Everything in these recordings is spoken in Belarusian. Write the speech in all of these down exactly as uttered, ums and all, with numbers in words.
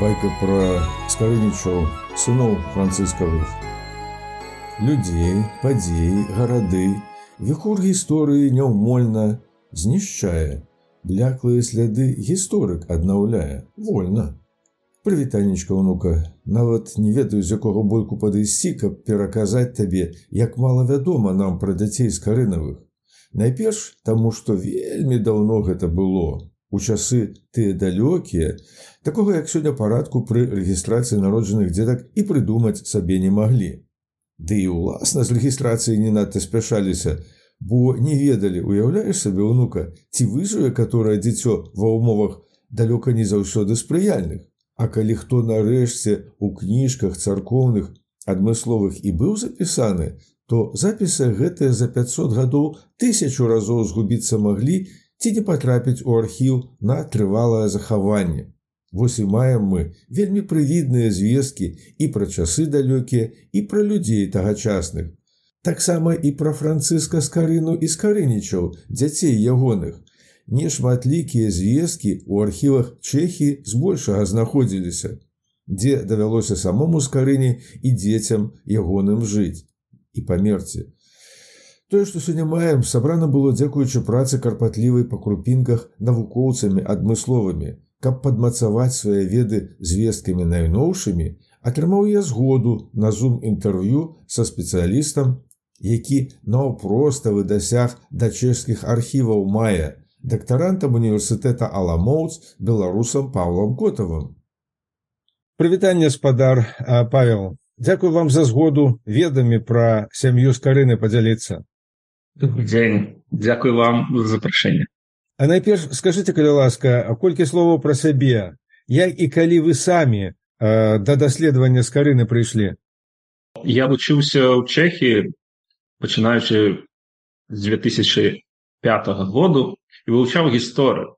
байка пра скарынічаў, сыноў францыскавых. Людзей, падзеі, гарады, віхур гісторыі няўмольна знішчае, бляклыя сляды гісторык аднаўляе вольна. Прывітанечка, унука, нават не ведаю, з якога бойку падысці, каб пераказаць табе, як мала вядома нам пра дзяцей скарынавых. Найперш таму, што вельмі даўно гэта было. У часы тыя далёкія, такога як сёння парадку пры рэгістрацыі народжаных дзетак і прыдумаць сабе не маглі. Ды і ўласна з рэгістрацыяй не надта спяшаліся, бо не ведалі, уяўляеш сабе, унука, ці выжыве каторае дзіцё ва ўмовах далёка не заўсёды спрыяльных. А калі хто нарэшце ў кніжках царкоўных адмысловых і быў запісаны, то запісы гэтыя за пяцьсот гадоў тысячу разоў згубіцца маглі ці не патрапіць у архіў на трывалае захаванне. Вось і маем мы вельмі прывідныя звесткі і пра часы далёкія, і пра людзей тагачасных. Таксама і пра Францыска Скарыну і скарынічаў, дзяцей ягоных. Нешматлікія звесткі ў архівах Чэхіі збольшага знаходзіліся, дзе давялося самому Скарыне і дзецям ягоным жыць і памерці. Тое, што сёння маем, сабрана было дзякуючы працы карпатлівай па крупінках навукоўцамі адмысловымі. Каб падмацаваць свае веды звесткамі найноўшымі, атрымаў я згоду на зум-інтэрв'ю са спецыялістам, які наўпроставы дасяг да чэшскіх архіваў мая, дактарантам універсітэта Аламоўц, беларусам Паўлам Котавым. Прывітанне, спадар Павел. Дзякую вам за згоду ведамі пра сям'ю Скарыны падзяліцца. Добрый дзень. Дзякую вам за запрашэнне. А найперш скажыце, калі ласка, колькі словаў пра сябе, як і калі вы самі э, да даследавання Скарыны прыйшлі? Я вучыўся ў Чэхіі, пачынаючы з две тысячы пятага году, і вывучаў гісторыю.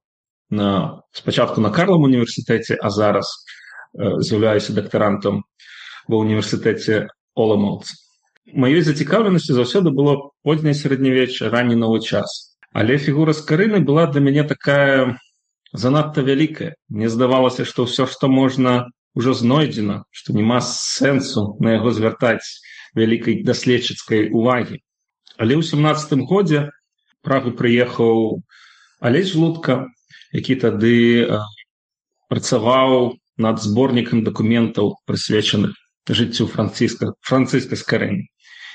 На, спачатку на Карлам універсітэце, а зараз э, з'яўляюся дактарантам ва універсітэце Оламоўц. Маёй зацікаўленасцю заўсёды было позняе сярэднявечча, ранні новы час. Але фігура Скарыны была для мяне такая занадта вялікая. Мне здавалася, што ўсё, што можна, ужо знойдзена, што няма сэнсу на яго звяртаць вялікай даследчыцкай увагі. Але ў сямнаццатым годзе Прагу прыехаў Алесь Жлудка, які тады э, працаваў над зборнікам дакументаў, прысвечаных жыццю Францыска, Францыска Скарыны.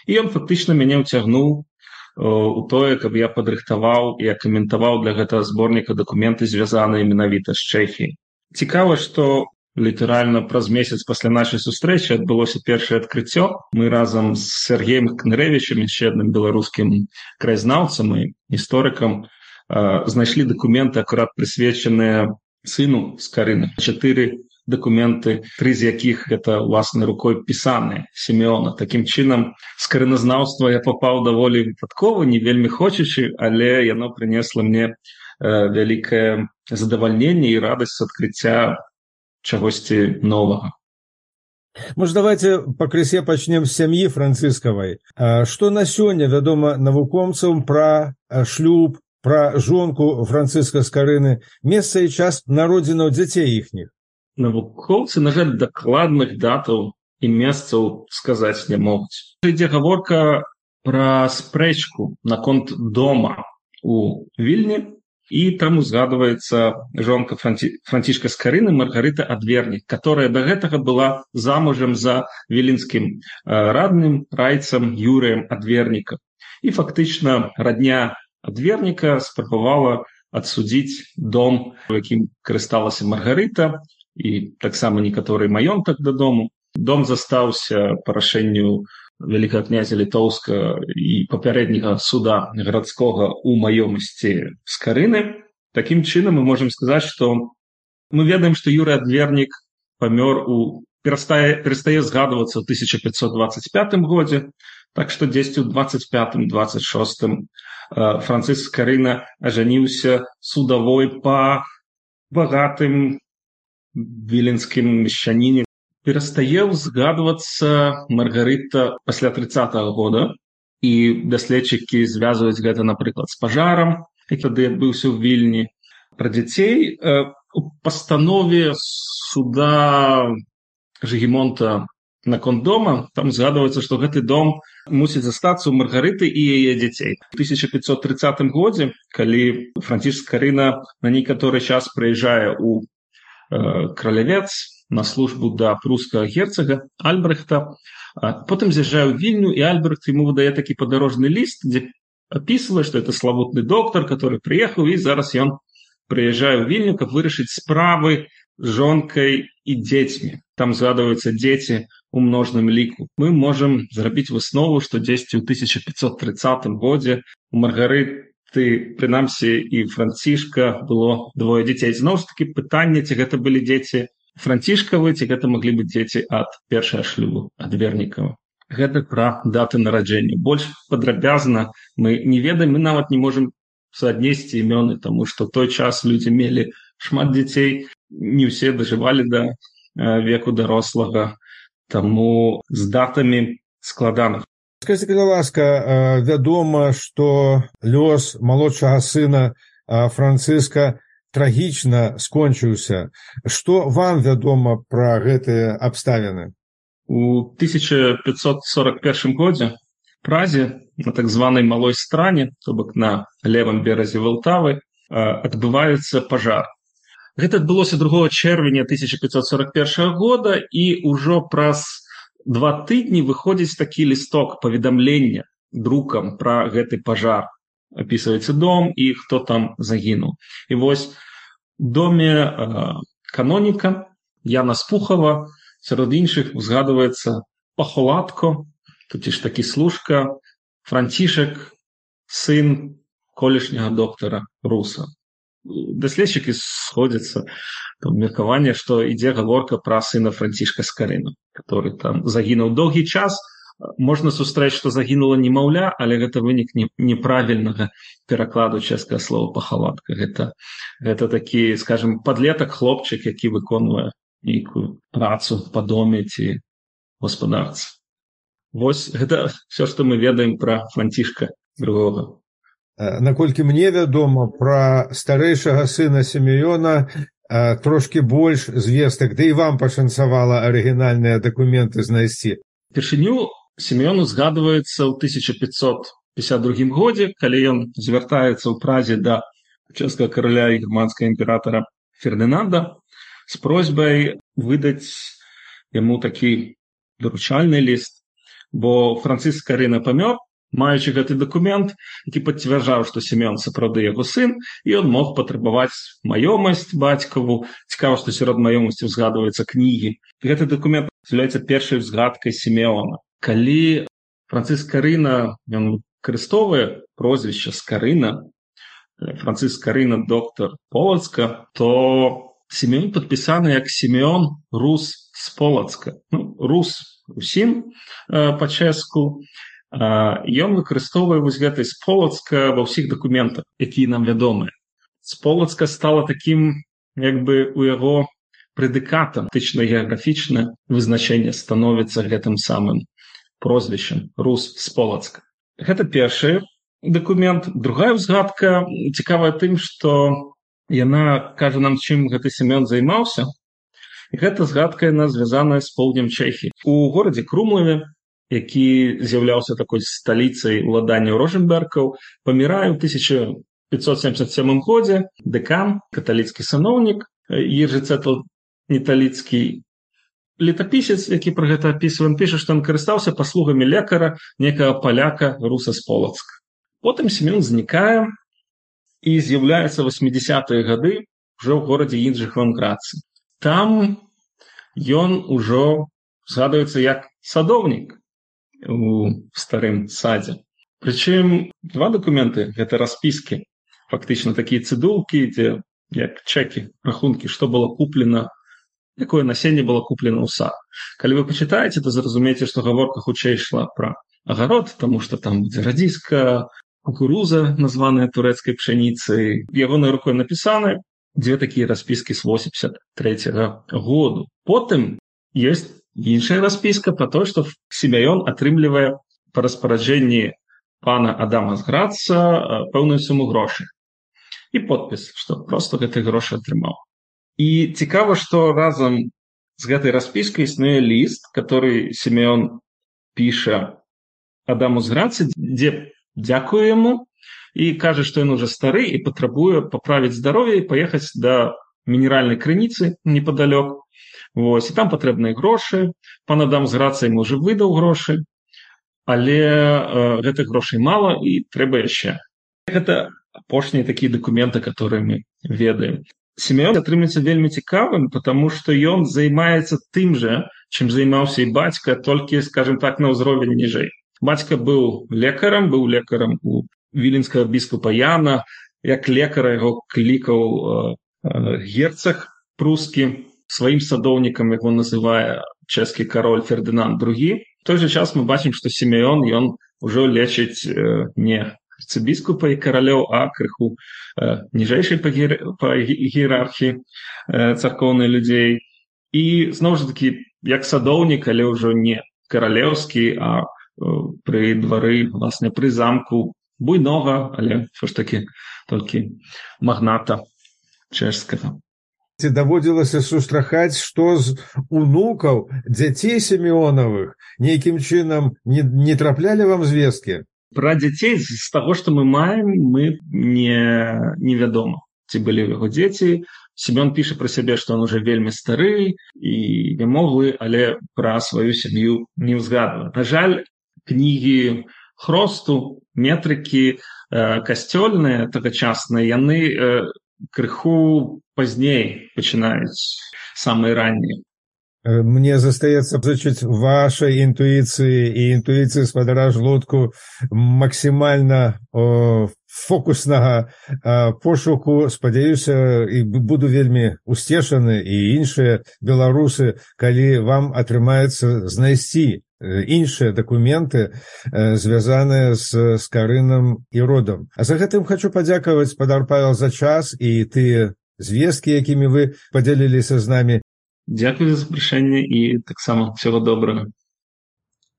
І ён фактычна мяне ўцягнуў у тое, каб я падрыхтаваў і каментаваў для гэтага зборніка дакументы, звязаныя менавіта з Чэхіяй. Цікава, што літаральна праз месяц пасля нашай сустрэчы адбылося першае адкрыццё. Мы разам з Сергеем Кнырэвічам, яшчэ адным беларускім краязнаўцам і гісторыкам, знайшлі дакументы, акурат прысвечаныя сыну Скарыны. Чатыры дакументы, тры з якіх гэта ўласнай рукой пісаныя Сімеона. Такім чынам, скарыназнаўства я папаў даволі выпадкова, не вельмі хочучы, але яно прынесла мне э, вялікае задавальненне і радасць адкрыцця чагосьці новага. Можа, давайте пакрысе пачнем з сям'і францыскавай. Што на сёння вядома навукоўцам пра шлюб, пра жонку Францыска Скарыны, месца і час народзінаў дзяцей іхніх? Навукоўцы, на жаль, дакладных датаў і месцаў сказаць не могуць. Ідзе гаворка пра спрэчку наконт дома у Вільні, і там узгадваецца жонка Франці... Францішка Скарыны Маргарыта Адвернік, которая да гэтага была замужам за віленскім радным райцам Юрыем Адвернікам. І фактычна радня Адверніка спрабавала адсудзіць дом, у якім карысталася Маргарыта, і таксама некаторы маёнтак дадому. Дом застаўся па рашэнню вялікага князя Літоўска і папярэдняга суда гарадскога ў маёмасці Скарыны. Такім чынам мы можам сказаць, што мы ведаем, што Юрый Адвернік памёр у перастае, перастае згадвацца ў тысяча пятьсот двадцать пятым годзе, так што дзесьці ў двадцать пятым двадцать шостым Францыск Скарына ажаніўся судавой па багатым віленскім мешчаніне. Перастае згадвацца Маргарыта пасля трыццатага года, і даследчыкі звязваюць гэта, напрыклад, з пажарам, які тады адбыўся ў Вільні. Пра дзяцей у пастанове суда Жыгімонта наконт дома, там згадваецца, што гэты дом мусіць застацца ў Маргарыты і яе дзяцей. У тысяча пятьсот тридцатым годзе, калі Францішк Скарына на некаторы час прыязджае ў э, Кралявец на службу да прускага герцага Альбрэхта, а потым з'язджае ў Вільню, і Альбрэхт яму выдае такі падарожны ліст, дзе апісвае, што это славутны доктар, который прыехаў, і зараз ён прыязджае ў Вільню, каб вырашыць справы з жонкай і дзецьмі. Там згадваюцца дзеці у множным ліку. Мы можам зрабіць выснову, што дзесьці ў тысяча пятьсот тридцатым годзе у Маргарыты, прынамсі, і Францішка было двое дзяцей. Зноў ж такі пытанне, ці гэта былі дзеці Францішкавы, ці гэта маглі быць дзеці ад першага шлюбу, ад Вернікава. Гэта пра даты нараджэння. Больш падрабязна мы не ведаем, мы нават не можам суаднесці імёны, таму што ў той час людзі мелі шмат дзяцей, не ўсе дажывалі да э, веку дарослага, таму з датамі складана. Скажите, калі ласка, вядома, што лёс малодшага сына Францыска трагічна скончыўся. Што вам вядома пра гэтыя абставіны? У тысяча пятьсот сорок первым годзе в Празе, на так званай Малой Стране, то бок на левым беразе Валтавы, адбываецца пажар. Гэта адбылося другога чэрвеня тысяча пятьсот сорок первого года, і ўжо праз два тыдні выходзіць такі лісток паведамлення друкам пра гэты пажар. Апісваецца дом і хто там загінуў. І вось у доме э, каноніка Яна Спухова сярод іншых узгадваецца Пахоладко, тут ж такі служка, Францішак, сын колішняга доктара Руса. Даследчыкі сходзяцца там меркаванне, што ідзе гаворка пра сына Францішка Скарыну, который там загінуў доўгі час. Можна сустрэць, што загінула немаўля, але гэта вынік неправільнага перакладу чэшскага слова пахаладка. Гэта, гэта такі, скажем, падлетак хлопчык, які выконвае нейкую працу па доме ці гаспадарцы. Вось гэта все, што мы ведаем пра Францішка другога. Наколькі мне вядома, пра старэйшага сына Сімеона трошкі больш звестак, да і вам пашанцавала арыгінальныя дакументы знайсці. Першыню Сімеону згадваецца ў тысяча пятьсот пятьдесят другім годзе, калі ён звяртаецца ў Празе да чэшскага караля і германскага імператара Фердынанда з просьбай выдаць яму такі даручальны ліст, бо Францыск Скарына памёр, маючы гэты дакумент, які пацвярджаў, што Сімеон сапраўды яго сын, і ён мог патрабаваць маёмасць бацькаву. Цікава, што сярод маёмасці згадваюцца кнігі. Гэты дакумент з'яўляецца першай узгадкай Сімеона. Калі Францыск Скарына ён выкарыстоўвае прозвішча Скарына, Францыск Скарына доктар Полацка, то Сімеон падпісаны як Сімеон Рус з Полацка. Ну, Рус усім э, па-чэшску. Ён выкарыстоўвае вось гэтай з Полацка ва ўсіх дакументах, якія нам вядомыя. З Полацка стала такім, як бы у яго прэдыкатам, этычна-геаграфічнае вызначэнне становіцца гэтым самым прозвішчам Рус з Полацка. Гэта першы дакумент. Другая ўзгадка цікавая тым, што яна кажа нам, чым гэты Сімеон займаўся. І гэта згадка яна звязаная з поўднем Чэхіі. У горадзе Крумлаве, які з'яўляўся такой сталіцай уладання Роженбергаў, памірае ў тысяча пятьсот семьдесят сёмым годзе дэкан, каталіцкі сановнік Ежы Цэтл Неталіцкі. Летапісец, які пра гэта апісвае, піша, што ён карыстаўся паслугамі лекара некага паляка Руса з Полацка. Потым Сімеон знікае і з'яўляецца васьмідзясятыя гады ўжо ў горадзе Інджыхванградцы. Там ён ужо згадваецца як садоўнік у старым садзе. Прычым два дакументы, гэта распіскі, фактычна такія цыдулкі, дзе як чэкі, рахункі, што было куплена, якое насенне было куплена ў сад. Калі вы пачытаеце, то зразумееце, што гаворка хутчэй ішла пра агарод, таму што там будзе радзіска, кукуруза, названая турэцкай пшаніцай. Ягонай рукой напісаны дзве такія распіскі з восемьдесят трэцяга году. Потым ёсць іншая распіска пра тое, што Сімеон атрымлівае па распараджэнні пана Адама з Граца пэўную суму грошай. І подпіс, што проста гэты грошы атрымаў. І цікава, што разам з гэтай распіскай існуе ліст, который Сімеон піша Адаму з Грацы, дзе дзякуе яму і кажа, што ён уже стары і патрабуе паправіць здароўе і паехаць да мінеральнай крыніцы непадалёк. Вось, і там патрэбныя грошы. Пан Адам з Грацай ему уже выдаў грошы, але э, гэтых грошай мала і трэба яшчэ. Гэта апошнія такія дакументы, которые мы ведаем. Сімеон атрымліваецца вельмі цікавым, потому што ён займаецца тым жа, чым займаўся і бацька, толькі, скажем так, на ўзровень ніжэй. Бацька быў лекарам, быў лекарам у віленскага біскупа Яна, як лекара яго клікаў э, э, герцаг прускі, сваім садоўнікам яго называе чэшскі кароль Фердынанд другі. В той жа час мы бачым, што Сімеон, ён ужо лечыць э, не арцыбіскупа і каралёў, а крыху э, ніжэйшай па, гіер... па іерархіі э, царкоўнай людзей. І, зноў жа такі, як садоўнік, але ўжо не каралеўскі, а э, пры двары, власне, пры замку буйнога, але ўсё ж такі толькі магната чэшскага. Ці даводзілася сустракаць, што з унукаў дзяцей Сімеонавых нейкім чынам не, не траплялі вам звесткі? Пра дзяцей з таго, што мы маем, мы не невядома, ці былі ў яго дзеці. Сімеон піша пра сябе, што ён уже вельмі стары і вымоглы, але пра сваю сям'ю не ўзгадвае. На жаль, кнігі хросту, метрыкі э, касцёльныя тагачасныя, яны э, крыху пазней пачынаюць, самыя раннія. Мне застаецца зачыць вашай інтуіцыі і інтуіцыі спадара Жлудку максімальна о, фокуснага о, пошуку. Спадзяюся, і буду вельмі усцешаны і іншыя беларусы, калі вам атрымаецца знайсці іншыя дакументы, звязаныя з Скарынам і родам. А за гэтым хочу падзякаваць, спадар Павел, за час і тыя звесткі, якімі вы падзяліліся з намі. Дзякую за запрашэнне і таксама ўсяго добрага.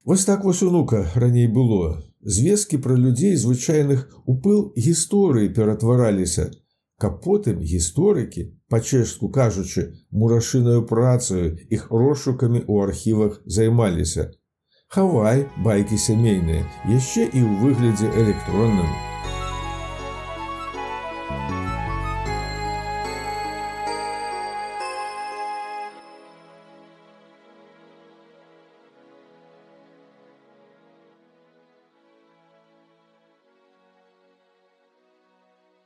Вось так вось, унука, раней было. Звесткі пра людзей звычайных у пыл гісторыі ператвараліся, каб потым гісторыкі, па-чэшску кажучы, мурашынаю працаю, іх розшукамі ў архівах займаліся. Хавай байкі сямейныя, яшчэ і ў выглядзе электронным.